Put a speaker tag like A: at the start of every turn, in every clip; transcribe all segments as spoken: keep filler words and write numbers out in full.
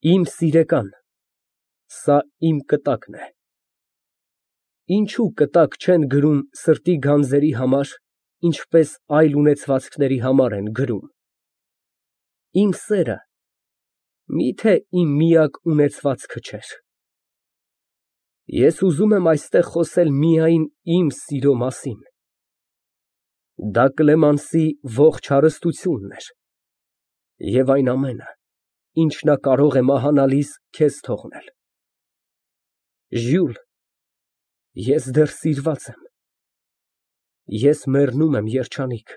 A: Իմ սիրեկան, սա իմ կտակն է։ Ինչո՞ւ կտակ չեն գրում սրտի գանձերի համար, ինչպես այլ ունեցվածքների համար են գրում։ Իմ սերը մի՞թե իմ միակ ունեցվածքը չէր։ Ես ուզում եմ այստեղ խոսել միայն իմ սիրո մասին։ Դա Կլեմանսի ողջ հարստությունն էր և այն ամենը, ինչ նա կարող է մահանալիս քեզ թողնել։ Ժյուլ, ես դեռ սիրված եմ։ Ես մեռնում եմ, երջանիկ։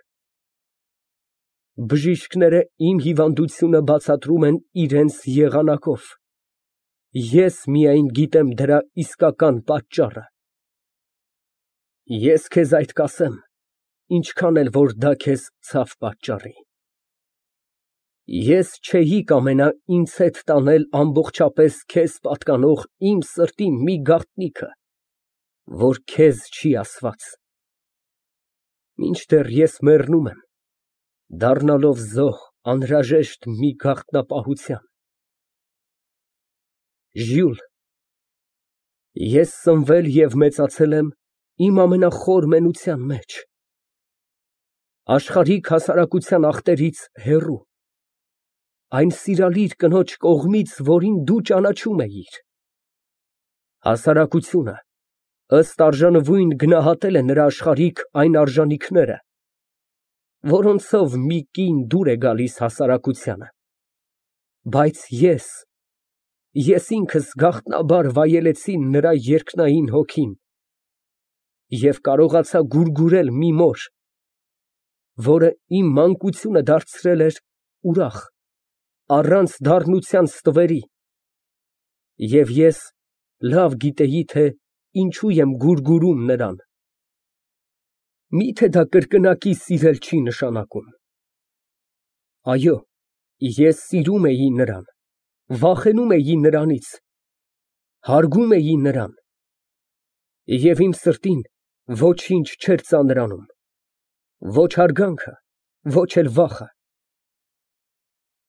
A: Բժիշկները իմ հիվանդությունը բացատրում են իրենց եղանակով։ Ես միայն գիտեմ դրա իսկական պատճառը։ Ես քեզ այդ կասեմ, ինչքան էլ որ դա քեզ ցավ պատճառի։ Ես չէի կամենա ինձ հետ տանել ամբողջապես քեզ պատկանող իմ սրտի մի գաղտնիքը, որ քեզ չի ասված։ Մինչդեռ ես մեռնում եմ, դառնալով զոհ անհրաժեշտ մի գաղտնապահության։ Ժյուլ, ես սնվել և մեծացել եմ իմ ամենախոր մենության մեջ, աշխարհիկ հասարակության ախտերից հեռու, այն սիրալիր կնոջ կողմից, որին դու ճանաչում էիր։ Հասարակությունը ըստ արժանվույն գնահատել է նրա աշխարհիկ այն արժանիքները, որոնցով մի կին դուր է գալիս հասարակությանը, բայց ես, ես ինքս գաղտնաբար վայելեցի նրա երկնային հոգին և կարողացա գուրգուրել մի մոր, որը իմ մանկությունը դարձրել էր ուրախ, առանց դառնության ստվերի, և ես լավ գիտեի, թե ինչու եմ գուրգուրում նրան։ Մի՞թե դա կրկնակի սիրել չի նշանակում։ Այո, ես սիրում էի նրան, վախենում էի նրանից, հարգում էի նրան, և իմ սրտին ոչինչ չէր ծանրանում, ոչ հարգանքը, ոչ էլ վախը։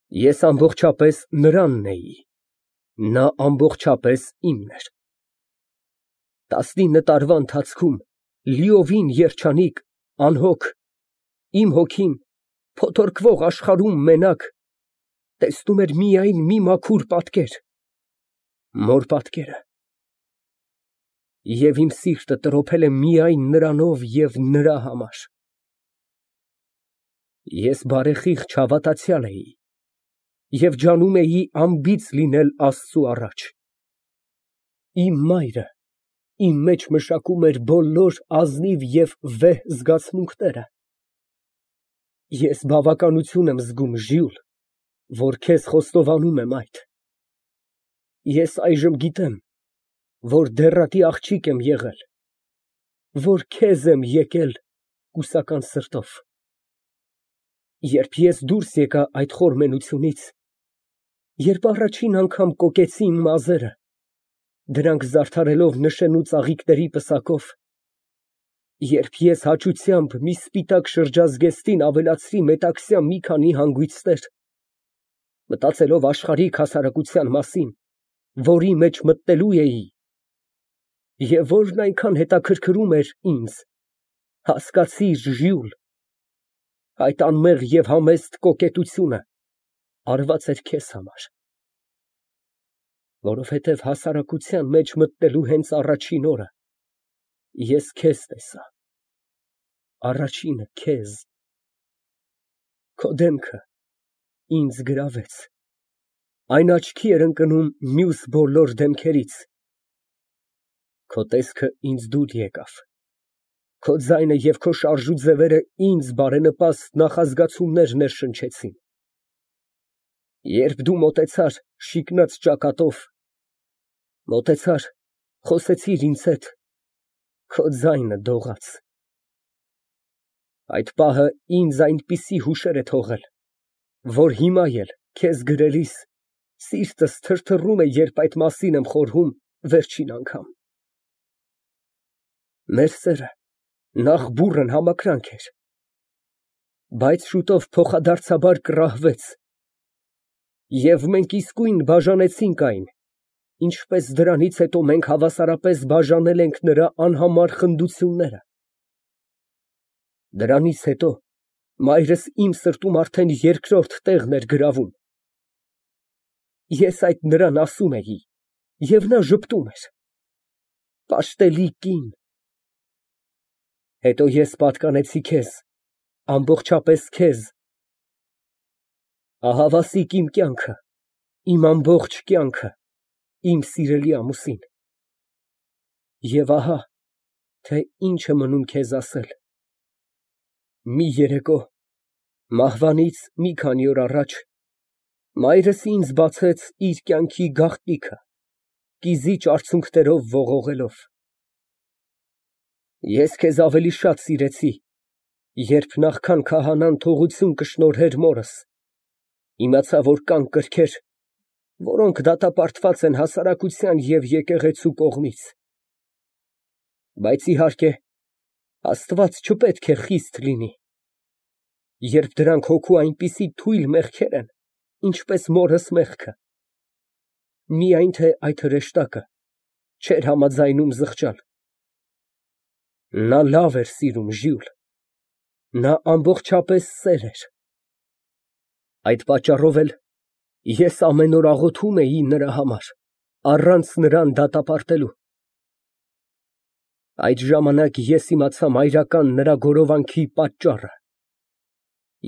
A: Ես ամբողջապես նրանն էի, նա ամբողջապես իմն էր։ Տասնինը տարվա ընթացքում, լիովին երջանիկ, անհոգ, իմ հոգին փոթորկվող աշխարհում մենակ տեսնում էր միայն մի մաքուր պատկեր, մոր պատկերը, և իմ սիրտը տրոփել է միայն նրանով և նրա համար։ Ես բարեխիղճ հավատացյալ էի և ջանում էի անբիծ լինել Աստծու առաջ։ Իմ մայրը իմ մեջ մշակում էր բոլոր ազնիվ և վեհ զգացմունքները։ Ես բավականություն եմ զգում, Ժյուլ, որ քեզ խոստովանում եմ այդ։ Ես այժմ գիտեմ, որ դեռակի աղջիկ եմ եղել, որ քեզ եմ եկել կուսական սրտով։ Երբ ես դուրս եկա այդ խոր մենությունից, երբ առաջին անգամ կոկեցի իմ մազերը, դրանք զարդարելով նշեն ու ծաղիկների պսակով, երբ ես հաճությամբ մի սպիտակ շրջազգեստին ավելացրի մետաքսյա մի քանի հանգույցներ, մտածելով աշխարհիկ հասարակության մասին, որի մեջ մտնելու էի, և որն այնքան հետաքրքրում էր ինձ, հասկացիր, Ժյուլ, այդ անմեղ և համեստ կոկետությունը արված էր քեզ համար, որովհետև հասարակության մեջ մտնելու հենց առաջին օրը ես քեզ տեսա, առաջինը քեզ, քո դեմքը ինձ գրավեց, այն աչքի էր ընկնում մյուս բոլոր դեմքերից, քո տեսքը ինձ դուր եկավ, քո ձայնը և քո շարժուձևերը ինձ բարենպաստ նախազգացումներ ներշնչեցին։ Երբ դու մոտեցար շիկնած ճակատով, մոտեցար, խոսեցիր ինձ հետ, քո ձայնը դողաց։ Այդ պահը ինձ այնպիսի հուշեր է թողել, որ հիմա էլ, քեզ գրելիս, սիրտս թրթռում է, երբ այդ մասին եմ խորհում վերջին անգամ։ Մեր սերը նախ բուռն համակրանք էր, բայց շուտով փոխադարձաբար կռահվեց, Եվ մենք իսկույն բաժանեցինք այն, ինչպես դրանից հետո մենք հավասարապես բաժանել ենք նրա անհամար խնդությունները։ Դրանից հետո մայրս իմ սրտում արդեն երկրորդ տեղն էր գրավում։ Ես այդ նրան ասում էի, և նա ժպտում էր։ Պաշտելի կին։ Հետո ես պատկանեցի քեզ, ամբողջապես քեզ։ Ահա Վասիկ իմ կյանքը, իմ ամբողջ կյանքը, իմ սիրելի ամուսին։ Եվ ահա, թե ինչ է մնում քեզ ասել։ Մի երեկո, մահվանից մի քանի օր առաջ, մայրս ինձ բացեց իր կյանքի գաղտնիքը, կիզիչ արցունքներով ողողելով։ Ես քեզ ավելի շատ սիրեցի, երբ նախքան քահանան թողություն կշնորհեր մորս, իմացա, որ կան կրքեր, որոնք դատապարտված են հասարակության և եկեղեցու կողմից։ Բայց իհարկե, Աստված չպետք է խիստ լինի, երբ դրանք հոգու այնպիսի թույլ մեղքեր են, ինչպես մորս մեղքը, միայն թե այդ հրեշտակը չէր համաձայնում զղջալ։ Նա լավ էր սիրում, Ժյուլ, նա ամբողջապես սեր էր։ Այդ պատճառով էլ ես ամեն օր աղոթում էի նրա համար, առանց նրան դատապարտելու։ Այդ ժամանակ ես իմացա մայրական նրա գորովանքի պատճառը։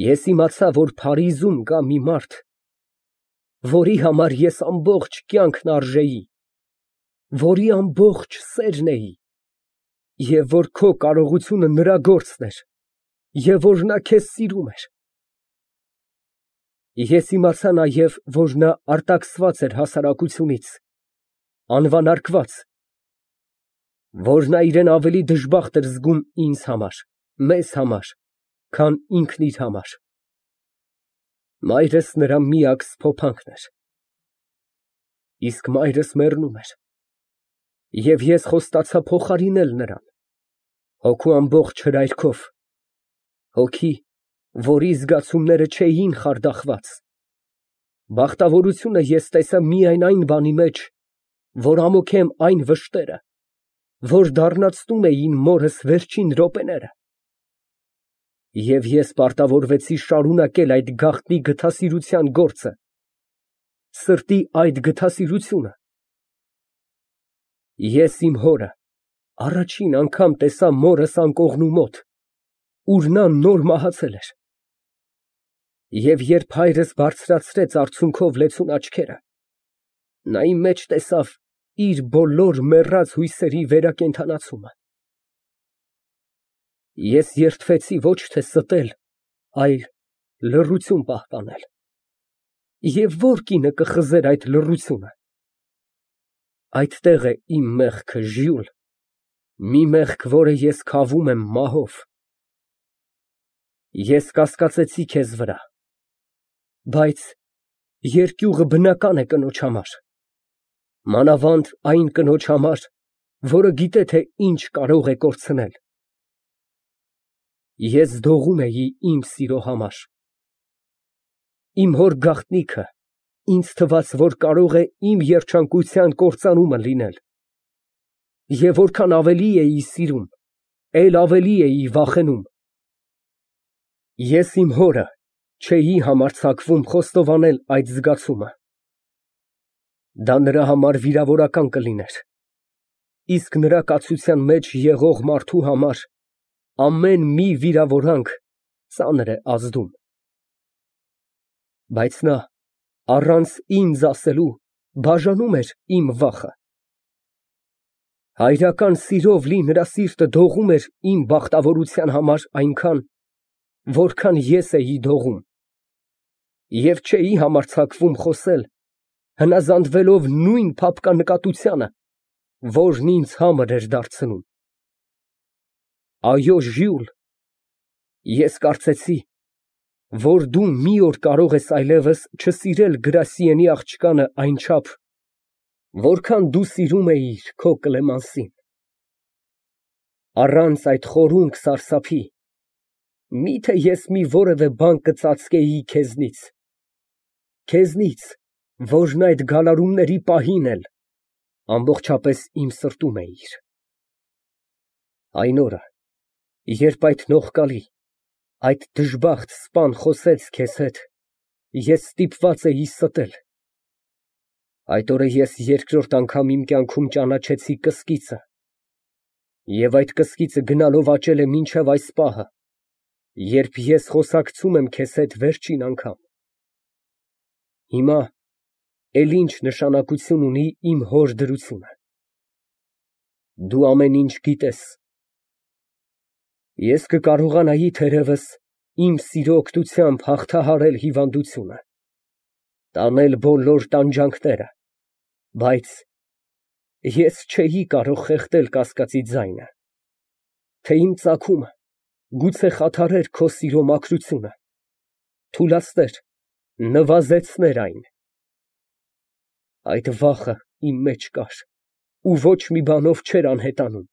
A: Ես իմացա, որ Փարիզում կա մի մարդ, որի համար ես ամբողջ կյանքն արժեի, որի ամբողջ սերն էի, և որ քո կարողությունը նրա գործն էր, և որ նա քեզ սիրում էր։ Ես իմացա նաև, որ նա արտաքսված էր հասարակությունից, անվանարկված, որ նա իրան ավելի դժբախտ էր զգում ինձ համար, մեզ համար, քան ինքն իր համար։ Մայրս նրա միակ սփոփանքն էր։ Իսկ մայրս մեռնում էր, և ես խոստացա փոխարինել նրան հոգու ամբողջ հրայրքով, հոգի, որի զգացումները չէին խարդախված։ Բախտավորությունը ես տեսա միայն այն բանի մեջ, որ ամոքեմ այն վշտերը, որ դառնացնում էին մորս վերջին րոպեները։ Եվ ես պարտավորվեցի շարունակել այդ գաղտնի գթասիրության գործը, սրտի այդ գթասիրությունը։ Ես իմ հորը առաջին անգամ տեսա մորս անկողնու մոտ, ուր նա նոր մահացել էր։ Եվ երբ հայրս բարձրացրեց արցունքով լեցուն աչքերը, նա իմ մեջ տեսավ իր բոլոր մեռած հույսերի վերակենդանացումը։ Ես երդվեցի ոչ թե ստել, այլ լռություն պահպանել։ Եվ ո՞ր կինը կխզեր այդ լռությունը։ Այդտեղ է իմ մեղքը, Ժյուլ, մի մեղք, որը ես քավում եմ մահով։ Ես կասկածեցի քեզ վրա, բայց երկյուղը բնական է կնոջ համար, մանավանդ այն կնոջ համար, որը գիտե, թե ինչ կարող է կորցնել։ Ես դողում էի իմ սիրո համար։ Իմ հոր գաղտնիքը ինձ թվաց, որ կարող է իմ երջանկության կործանումը լինել, և որքան ավելի էի սիրում, էլ ավելի էի վախենում։ Ես իմ հորը չէի համարձակվում խոստովանել այդ զգացումը։ Դա նրա համար վիրավորական կլիներ, իսկ նրա կացության մեջ եղող մարդու համար ամեն մի վիրավորանք ծանր է ազդում։ Բայց նա, առանց ինձ ասելու, բաժանում էր իմ վախը։ Հայրական սիրով լի նրա սիրտը դողում էր իմ բախտավորության համար այնքան, որքան ես էի դողում, և չէի համարձակվում խոսել, հնազանդվելով նույն փափկանկատությանը, որն ինձ համր էր դարձնում։ Այո, Ժյուլ, ես կարծեցի, որ դու մի օր կարող ես այլևս չսիրել Գրասիենի աղջկանը այնչափ, որքան դու սիրում էիր քո Կլեմենսին։ Առանց այդ խորունկ սարսափի, մի՞թե ես մի որևէ բան կծածկեի քեզնից։ քեզնից, որն այդ գալարումների պահին էլ ամբողջապես իմ սրտում էիր։ Այն օրը, երբ այդ նողկալի, այդ դժբախտ սպան խոսեց քեզ հետ, ես ստիպված էի ստել։ Այդ օրը ես երկրորդ անգամ իմ կյանքում ճանաչեցի կսկիծը, և այդ կսկիծը գնալով աճել է մինչև այս պահը, երբ ես խոսակցում եմ քեզ հետ վերջին անգամ։ Հիմա էլ ինչ նշանակություն ունի իմ հոր դրությունը։ Դու ամեն ինչ գիտես։ Ես կկարողանայի թերևս իմ սիրո օգնությամբ հաղթահարել հիվանդությունը, տանել բոլոր տանջանքները, բայց ես չէի կարող խեղդել կասկածի ձայնը, թե իմ ծագումը գուցե խաթարեր քո սիրո մաքրությունը, թուլացներ, նվազեցներ այն։ Այդ վախը իմ մեջ կար ու ոչ մի բանով չէր անհետանում։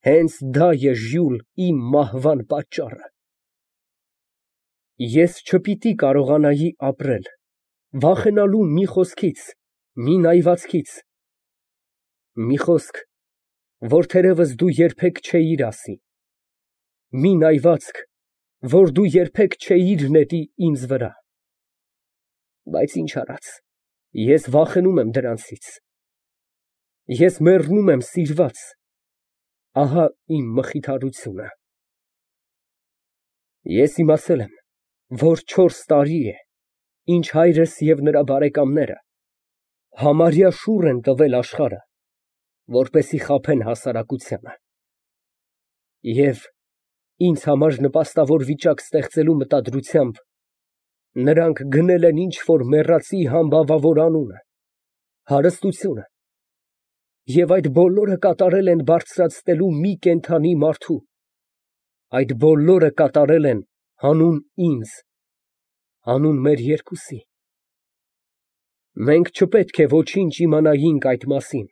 A: Հենց դա է, Ժյուլ, իմ մահվան պատճառը։ Ես չպիտի կարողանայի ապրել, վախենալու մի խոսքից, մի նայվածքից, մի խոսք, որ թերևս դու երբեք չէիր ասի, մի նայվածք, որ դու երբեք չէիր նետի ինձ վրա։ Բայց ինչ արած, ես վախենում եմ դրանցից։ Ես մեռնում եմ սիրված, ահա իմ մխիթարությունը։ Ես իմացել եմ, որ չորս տարի է, ինչ հայրս և նրա բարեկամները համարյա շուռ են տվել աշխարհը, որպեսզի խաբեն հասարակությանը, և ինձ համար նպաստավոր վիճակ ստեղծելու մտադրությամբ նրանք գնել են ինչ֊որ մեռածի համբավավոր անունը, հարստությունը, և այդ բոլորը կատարել են բարձրացնելու մի կենդանի մարդու, այդ բոլորը կատարել են հանուն ինձ, հանուն մեր երկուսի։ Մենք չպետք է ոչինչ իմանայինք այդ մասին։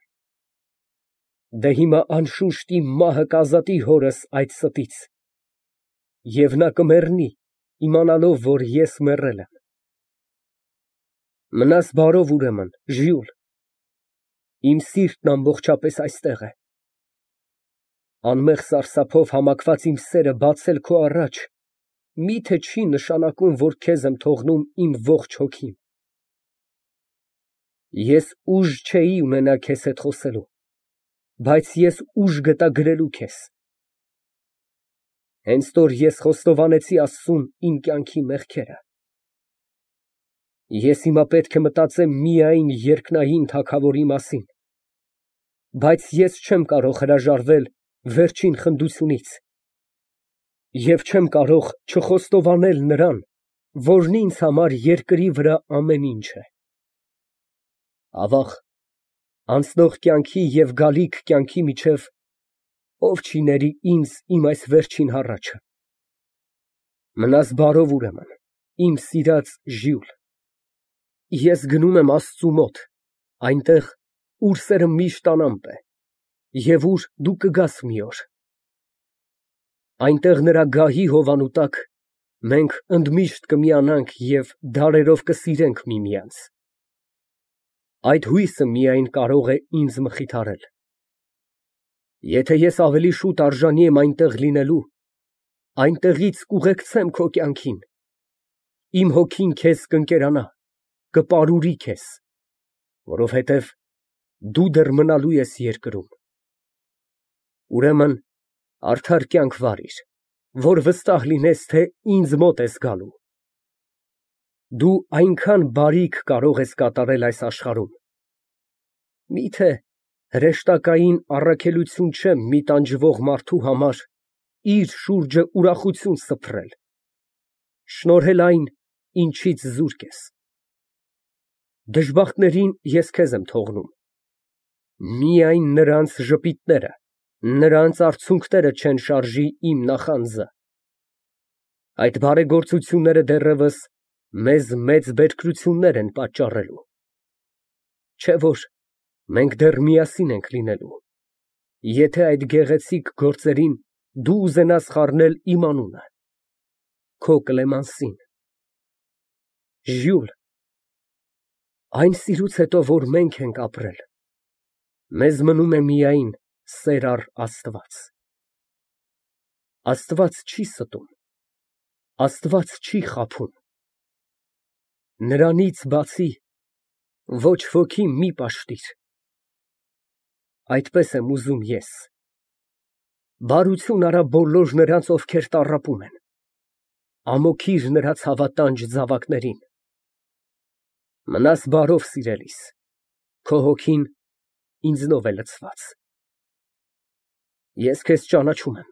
A: Դե հիմա անշուշտ իմ մահը կազատի հորս այդ ստից, և նա կմեռնի, իմանալով, որ ես մեռել եմ։ Մնաս բարով, ուրեմն, Ժյուլ, իմ սիրտն ամբողջապես այստեղ է։ Անմեղ սարսափով համակված իմ սերը բացել քո առաջ մի՞թե չի նշանակում, որ քեզ եմ թողնում իմ ողջ հոգին։ Ես ուժ չէի ունենա քեզ հետ խոսելու, բայց ես ուժ գտա գրելու քեզ։ Հենց որ ես խոստովանեցի Աստծուն իմ կյանքի մեղքերը, ես հիմա պետք է մտածեմ միայն երկնային Թագավորի մասին, բայց ես չեմ կարող հրաժարվել վերջին խնդությունից և չեմ կարող չխոստովանել նրան, որն ինձ համար երկրի վրա ամեն ինչ է։ Ավաղ, անցնող կյանքի և գալիք կյանքի միջև ով չի ների ինձ իմ այս վերջին հառաչը։ Մնաս բարով, ուրեմն, իմ սիրած Ժյուլ, ես գնում եմ Աստծու մոտ, այնտեղ, ուր սերը միշտ անամպ է, և ուր դու կգաս մի օր։ Այնտեղ նրա գահի հովանու տակ մենք ընդմիշտ կմիանանք և դարերով կսիրենք միմյանց։ Այդ հույսը միայն կարող է ինձ մխիթարել։ Եթե ես ավելի շուտ արժանի եմ այնտեղ լինելու, այնտեղից կուղեկցեմ քո կյանքին, իմ հոգին քեզ կընկերանա, կպարուրի քեզ, որովհետև դու դեռ մնալու ես երկրում։ Ուրեմն արդար կյանք վարիր, որ վստահ լինես, թե ինձ մոտ ես գալու։ Դու այնքան բարիք կարող ես կատարել այս աշխարհում։ Մի՞թե հրեշտակային առաքելություն չէ մի տանջվող մարդու համար իր շուրջը ուրախություն սփռել, շնորհել այն, ինչից զուրկ ես։ Դժբախտներին ես քեզ եմ թողնում, միայն նրանց ժպիտները, նրանց արցունքները չեն շարժի իմ նախանձը։ Այդ բարեգործությունները դեռևս մեզ մեծ բերքրություններ են պատճառելու։ Չէ՞ որ մենք դեռ միասին ենք լինելու, եթե այդ գեղեցիկ գործերին դու ուզենաս խառնել իմ անունը, քո Կլեմենսին։ Ժյուլ, այն սիրուց հետո, որ մենք ենք ապրել, մեզ մնում է միայն սեր առ Աստված։ Աստված չի ստում, Աստված չի խաբում, նրանից բացի ոչ ոքի մի պաշտիր։ Այդպես եմ ուզում ես։ Բարություն արա բոլոր նրանց, ովքեր տառապում են, ամոքիր նրա ցավատանջ զավակներին։ Մնաս բարով, սիրելիս, քո հոգին ինձնով է լցված։ Ես քեզ ճանաչում եմ,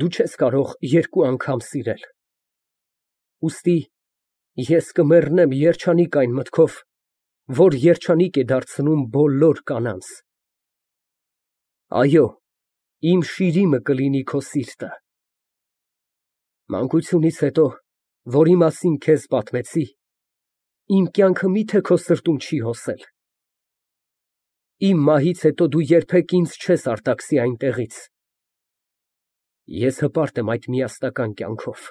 A: դու չես կարող երկու անգամ սիրել, ուստի ես կմեռնեմ երջանիկ այն մտքով, որ երջանիկ է դարձնում բոլոր կանանց։ Այո, իմ շիրիմը կլինի քո սիրտը։ Մանկությունից հետո, որի մասին քեզ պատմեցի, իմ կյանքը մի՞թե քո սրտում չի հոսել։ Իմ մահից հետո դու երբեք ինձ չես արտաքսի այնտեղից։ Ես հպարտ եմ այդ միասնական կյանքով։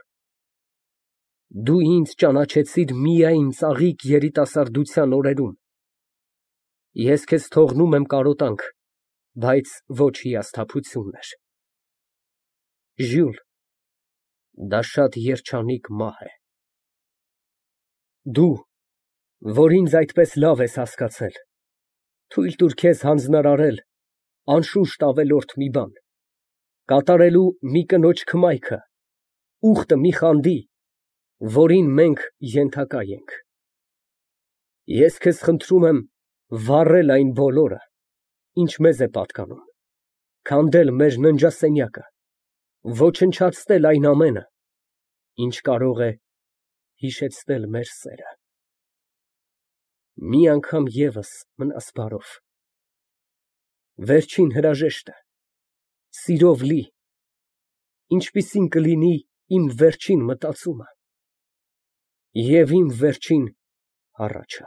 A: Դու ինձ ճանաչեցիր միայն ծաղիկ երիտասարդության օրերում։ Ես քեզ թողնում եմ կարոտանք, բայց ոչ հիասթափություններ։ Ժյուլ, դա շատ երջանիկ մահ է։ Դու, որ ինձ այդպես լավ ես հասկացել, թույլ տուր քեզ հանձնարարել անշուշտ ավելորդ մի բան, կատարելու մի կնոջ քմայքը, ուխտը մի խանդի, որին մենք ենթակա ենք։ Ես քեզ խնդրում եմ վառել այն բոլորը, ինչ մեզ է պատկանում, քանդել մեր ննջասենյակը, ոչնչացնել այն ամենը, ինչ կարող է հիշեցնել մեր սերը։ Մի անգամ ևս մնաս բարով։ Վերջին հրաժեշտը, սիրով լի, ինչպիսին կլինի իմ վերջին մտածումը և իմ վերջին հառաչը։